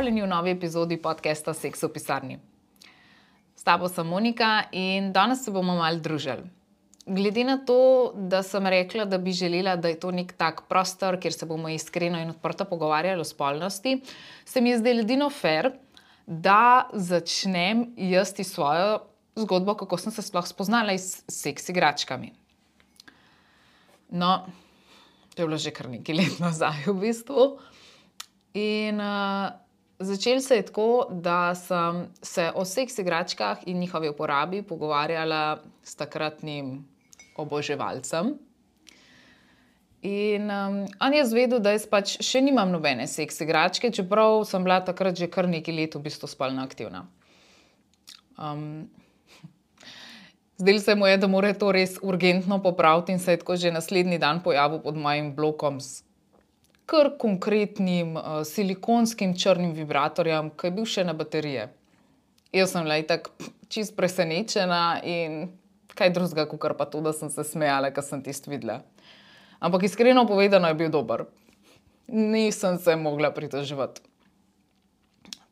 Pozdravljeni v novi epizodi podcasta Seks v pisarni. S tabo sem Monika in danes se bomo malo družili. Glede na to, da sem rekla, da bi želela, da je to nek tak prostor, kjer se bomo iskreno in odprto pogovarjali o spolnosti, se mi je zdelo edino fair, da začnem jaz svojo zgodbo, kako sem se sploh spoznala s seks igračkami. No, to je bilo že kar nekaj let nazaj v bistvu. In začelo se je tako, da sem se o seks igračkah in njihovi uporabi pogovarjala s takratnim oboževalcem. In on je zvedel, da jaz pač še nimam nobene seks igračke, čeprav sem bila takrat že kar nekaj let v bistvu spolno aktivna. Zdelo se mu je, da mora to res urgentno popraviti in se je tako že naslednji dan pojavil pod mojim blokom s kar konkretnim silikonskim črnim vibratorjem, ki je bil še na baterije. Jaz sem bila itak čisto presenečena in kaj drugega, kakor pa to, da sem se smejala, ko sem tisto videla. Ampak iskreno povedano je bil dober. Nisem se mogla pritoževati.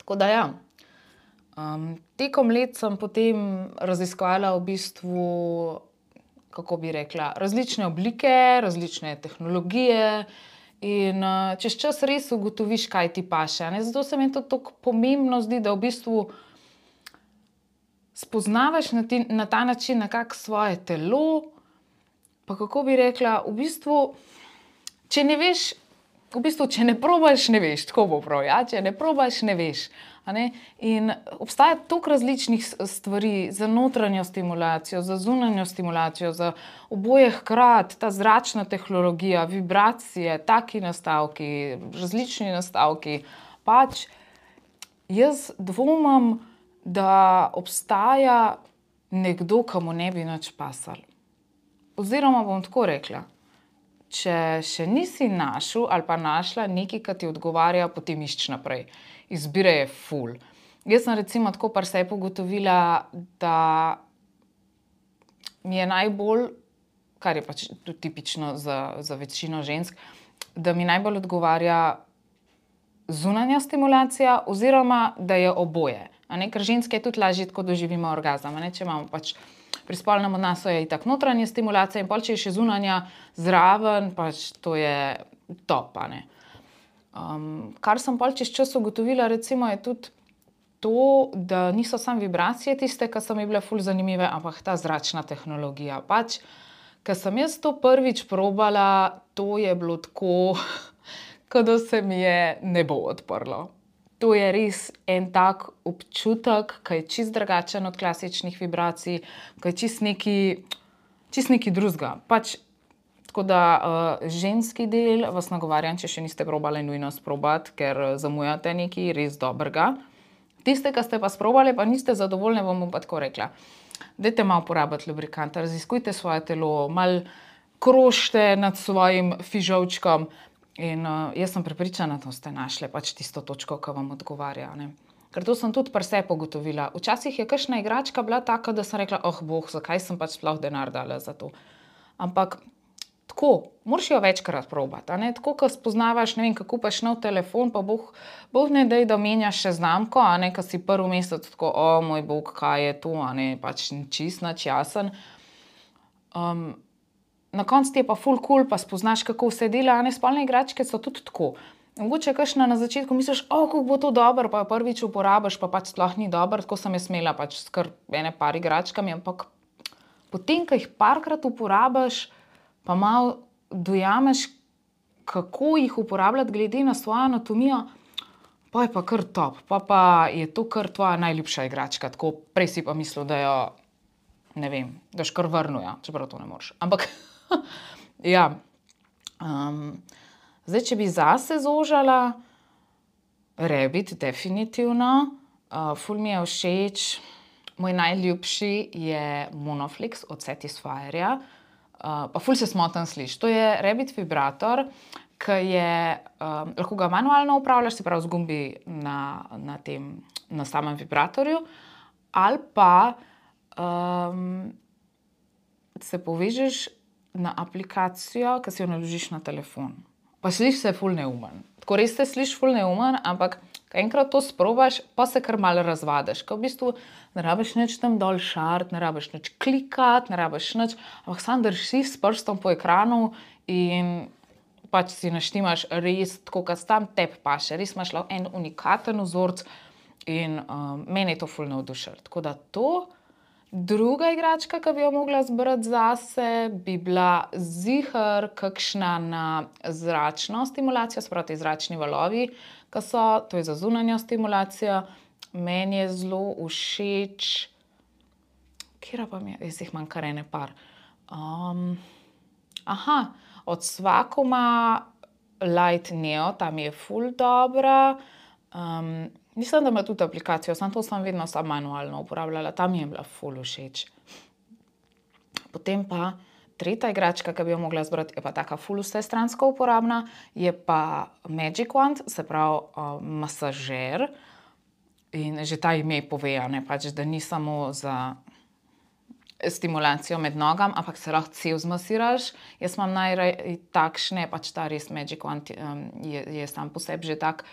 Tako da ja. Tekom let sem potem raziskovala v bistvu, kako bi rekla, različne oblike, različne tehnologije in čez čas res ugotoviš, kaj ti paše. Zato se mi to tako pomembno zdi, da v bistvu spoznavaš na ta način nekako svoje telo, pa kako bi rekla, v bistvu, če ne veš, če ne probaš, ne veš, tako bo prav, ja? Če ne probaš, ne veš. In obstaja toliko različnih stvari za notranjo stimulacijo, za zunanjo stimulacijo, za oboje hkrati, ta zračna tehnologija, vibracije, taki nastavki, različni nastavki. Pač jaz dvomim, da obstaja nekdo, ki mu ne bi nič pasalo. Oziroma bom tako rekla, če še nisi našel ali pa našla nekaj, ki ti odgovarja, potem išči naprej. Izbire je ful. Jaz sem recimo tako pri sebi ugotovila, da mi je najbolj, kar je pač tudi tipično za večino žensk, da mi najbolj odgovarja zunanja stimulacija oziroma da je oboje. Ker ženske je tudi lažje tako doživimo orgazem. Če imamo pač pri spolnem odnosu je itak notranja stimulacija in pol, če je še zunanja zraven, pač to je top. Kar sem pol čez čas ugotovila, recimo, je tudi to, da niso samo vibracije tiste, ki so mi bile ful zanimive, ampak ta zračna tehnologija. Pač, ko sem jaz to prvič probala, to je bilo tako, kot da se mi je nebo odprlo. To je res en tak občutek, ki je čisto drugačen od klasičnih vibracij, ki je čisto nekaj drugega. Pač, tako da ženski del vas nagovarjam, če še niste probali, nujno sprobati, ker zamujate nekaj res dobrega. Tiste, ki ste pa sprobali, pa niste zadovoljni, vam bom pa tako rekla. Dajte malo porabiti lubrikanta, raziskujte svoje telo, malo krožite nad svojim fižolčkom in jaz sem prepričana, da ste našli pač tisto točko, ki vam odgovarja. Ker to sem tudi pri sebi ugotovila. Včasih je kakšna igračka bila taka, da sem rekla, bog, zakaj sem pač sploh denar dala za to. Ampak tako, moraš jo večkrat probati. Tako, ko spoznavaš, ne vem, ko kupaš nov telefon, pa boh ne daj, da menjaš še znamko, ko si prvi mesec tako, moj bog, kaj je to, pač čist nič jasen. Na koncu ti je pa ful cool, pa spoznaš, kako vse dela, spolne igračke so tudi tako. Mogoče kakšna na začetku misliš, kako bo to dobro, pa prvič uporabiš, pa pač sploh ni dobro, tako sem jaz imela pač skar ene par igračkami, ampak potem, ko jih parkrat uporabiš, pa malo dojameš, kako jih uporabljati glede na svojo anatomijo, pa je pa kar top, pa je to kar tvoja najljubša igračka, tako prej si pa mislil, da jo, ne vem, daš kar vrnuja, čeprav to ne moreš. Ampak, ja, zdaj, če bi zase zožala, Rabbit, definitivno, ful mi je všeč, moj najljubši je Monoflix od Satisfyerja, pa ful se smotan sliši. To je Rabbit vibrator, ki je, lahko ga manualno upravljaš, se pravi z gumbi na samem vibratorju, ali pa se povežeš na aplikacijo, ki si jo naložiš na telefon. Pa sliši se ful neumen. Tako res se sliši ful neumen, ampak Ko enkrat to sprobaš, pa se kar malo razvadiš. Ko v bistvu ne rabiš nič tam dol šart, ne rabiš nič klikati, ne rabiš nič, ampak samo držiš s prstom po ekranu in pač si naštimaš res tako, kot tam tebi paše. Res imaš lahko en unikaten vzorec in mene je to ful navdušilo. Tako da to. Druga igračka, ki bi jo mogla zbrati zase, bi bila ziher kakšna na zračno stimulacijo, se pravi zračni valovi, ki so, to je za zunanjo stimulacijo. Meni je zelo všeč, katera pa mi je, jaz jih imam kar ene par. Od Swakoma Light Neo, ta mi je ful dobra. Mislim, da ima tudi aplikacijo, samo to sem vedno manualno uporabljala, ta mi je bila ful všeč. Potem pa tretja igračka, ki bi jo mogla zbrati, je pa taka ful vsestransko uporabna, je pa Magic Wand, se pravi masažer. In že ta ime pove, pač, da ni samo za stimulacijo med nogam, ampak se lahko cel zmasiraš. Jaz imam najraje takšne, pač ta res Magic Wand je sam po sebi že tak,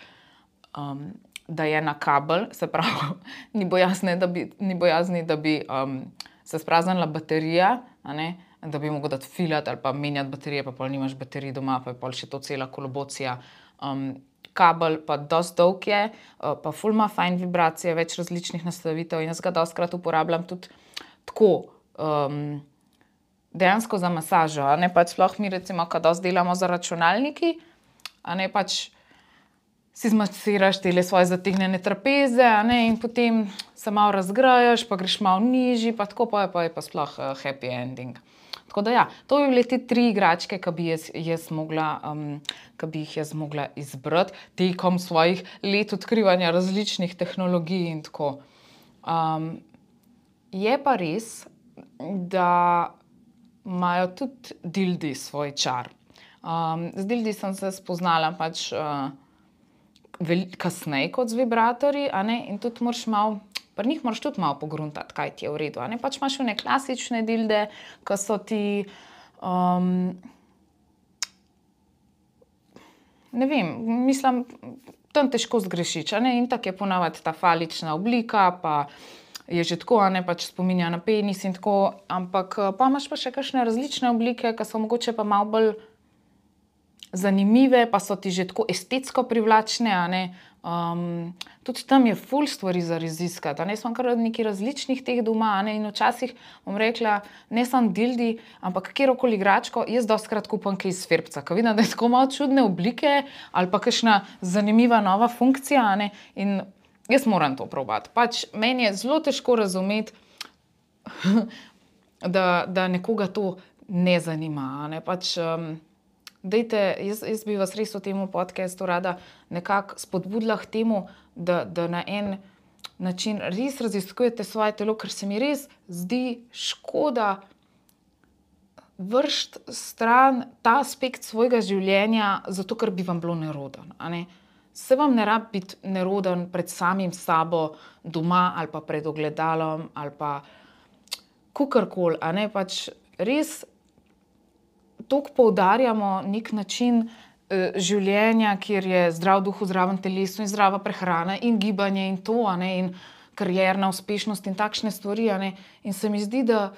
da je na kabel, se pravi, ni bojazni, da bi se spraznila baterija, da bi mogel dati filati ali pa menjati baterije, pa pol nimaš baterij doma, pa je pol še to cela kolobocija. Kabel pa dosti dolg je, pa ful ima fajn vibracije, več različnih nastavitev in jaz ga dostikrat uporabljam tudi tako, dejansko za masažo, pač sploh mi recimo, ko dosti delamo za računalniki, pač si zmasiraš tele svoje zategnjene trapeze, in potem se malo razgrajaš, pa greš malo nižji, pa tako pa je pa sploh happy ending. Tako da ja, to bi bile te 3 igračke, ki bi jih jaz mogla izbrati tekom svojih let odkrivanja različnih tehnologij in tako. Je pa res, da imajo tudi dildi svoj čar. Z dildi sem se spoznala pač kasneje kot z vibratorji, in tudi moraš malo, pri njih moraš tudi malo pogruntati, kaj ti je v redu. Pač imaš one klasične dilde, ki so ti, ne vem, mislim, tam težko zgrešiš, in tako je ponavadi ta falična oblika, pa je že tako, pač spominja na penis in tako, ampak pa imaš pa še kakšne različne oblike, ki so mogoče pa malo bolj zanimive, pa so ti že tako estetsko privlačne, tudi tam je ful stvari za raziskati, jaz imam kar nekaj različnih teh doma, in včasih bom rekla, ne samo dildi, ampak katerokoli igračko, jaz dostikrat kupim kaj iz Ferbca, ko vidim, da je tako malo čudne oblike ali pa kakšna zanimiva nova funkcija, in jaz moram to probati. Pač meni je zelo težko razumeti, da nekoga to ne zanima, pač dajte, jaz bi vas res v tem podcastu rada nekako spodbudila k temu, da na en način res raziskujete svoje telo, ker se mi res zdi škoda vreči stran ta aspekt svojega življenja, zato ker bi vam bilo nerodno, Se vam ne rabi biti neroden pred samim sabo doma ali pa pred ogledalom ali pa kakorkoli, pač res toliko poudarjamo nek način življenja, kjer je zdrav duh v zdravem telesu in zdrava prehrana in gibanje in to, in karierna uspešnost in takšne stvari, in se mi zdi, da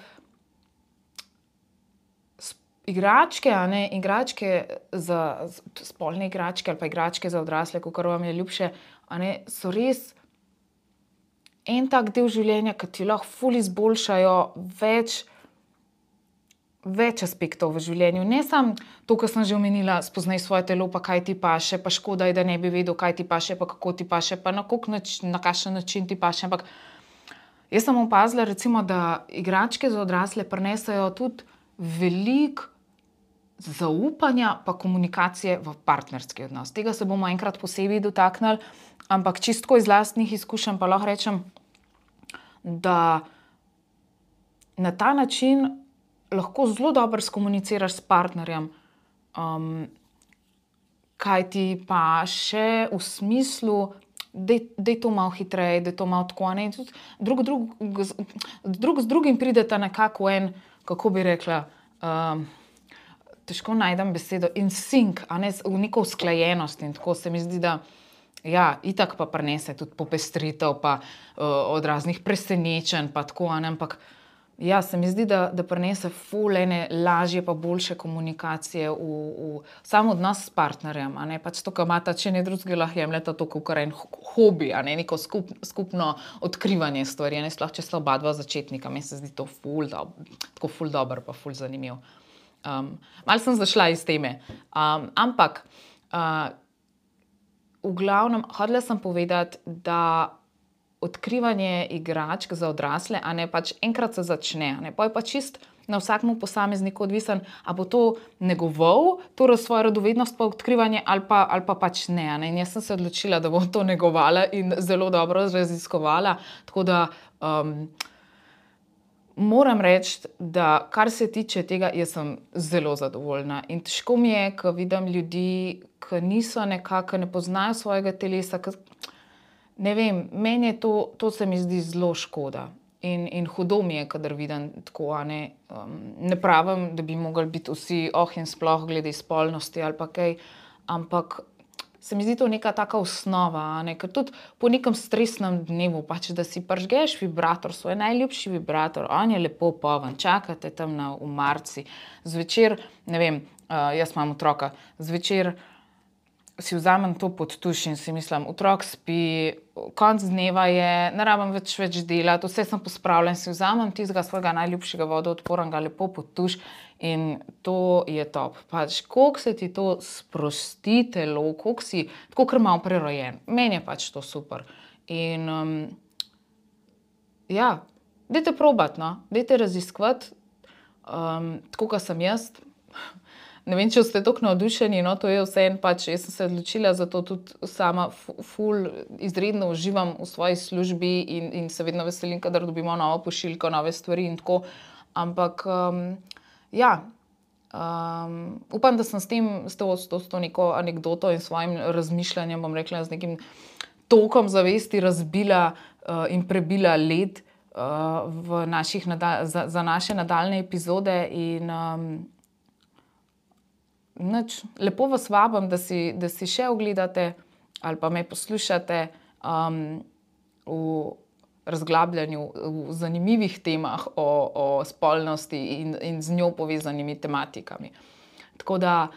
igračke, spolne igračke ali pa igračke za odrasle, kakor vam je ljubše, so res en tak del življenja, ki ti lahko ful izboljšajo več aspektov v življenju. Ne samo to, kar sem že omenila, spoznaj svoje telo, pa kaj ti paše, pa škoda je, da ne bi vedel, kaj ti paše, pa kako ti paše, pa na kakšen način ti paše, ampak jaz sem opazila recimo, da igračke za odrasle prinesajo tudi veliko zaupanja pa komunikacije v partnerski odnos. Tega se bomo enkrat posebej dotaknili, ampak čisto iz lastnih izkušenj pa lahko rečem, da na ta način lahko zelo dobro skomuniciraš s partnerjem, kaj ti paše v smislu, daj to malo hitreje, daj to malo tako, in tudi drug z drugim prideta nekako v en, kako bi rekla, težko najdem besedo, in sync, v neko usklajenost, in tako se mi zdi, da Ja, itak pa prinese tudi popestritev, pa od raznih presenečenj, pa tako, ampak ja, se mi zdi, da prinese ful ene lažje pa boljše komunikacije v sam odnos s partnerjem, pač to, kar imata, če ne drugega, lahko jemljeta to kakor en hobi, neko skupno odkrivanje stvari, sploh če sta oba dva začetnika, meni se zdi to tako ful dobro pa ful zanimiv. Malo sem zašla iz teme, ampak v glavnem, hotela sem povedati, da odkrivanje igračk za odrasle, pač enkrat se začne, pol je pa čist na vsakemu posamezniku odvisen, a bo to negoval, to svojo radovednost pa odkrivanje ali pa pač ne, in jaz sem se odločila, da bom to negovala in zelo dobro raziskovala, tako da moram reči, da kar se tiče tega, jaz sem zelo zadovoljna in težko mi je, ko vidim ljudi, ki niso nekako, ne poznajo svojega telesa, ne vem, meni je to se mi zdi zelo škoda in hudo mi je, kadar vidim tako, ne pravim, da bi mogli biti vsi in sploh glede spolnosti ali pa kaj, ampak se mi zdi to neka taka osnova, ker tudi po nekem stresnem dnevu, pač da si prižgeš vibrator, svoj najljubši vibrator, on je lepo poln, čakate tam na omarici, zvečer, ne vem, jaz imam otroka, zvečer si vzamem to pod tuš in si mislim, otrok spi, konec dneva je, ne rabim več delati, vse sem pospravila in si vzamem tistega svojega najljubšega vodoodpornega lepo pod tuš in to je top. Pač, koliko se ti to sprosti telo, koliko si, tako kar malo prerojen. Meni je pač to super. In ja, dajte probati, dajte raziskovati, tako kot sem jaz. Ne vem, če ste toliko navdušeni, to je vseeno, pač jaz sem se odločila, zato tudi sama ful izredno uživam v svoji službi in se vedno veselim, kadar dobimo novo pošiljko, nove stvari in tako, ampak ja, upam, da sem s to neko anekdoto in svojim razmišljanjem, bom rekla, z nekim tokom zavesti razbila in prebila led za naše nadaljne epizode in lepo vas vabim, da si še ogledate ali pa me poslušate v razglabljanju, v zanimivih temah o spolnosti in z njo povezanimi tematikami. Tako da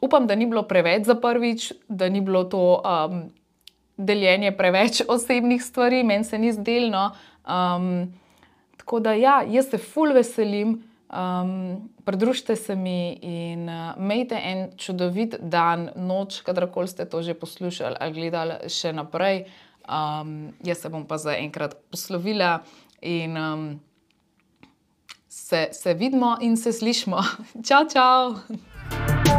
upam, da ni bilo preveč za prvič, da ni bilo to deljenje preveč osebnih stvari, meni se ni zdelo. Tako da ja, jaz se ful veselim, pridružite se mi in imejte en čudovit dan, noč, kadarkoli ste to že poslušali ali gledali še naprej. Jaz se bom pa zaenkrat poslovila in se vidimo in se slišimo. Čau, čau!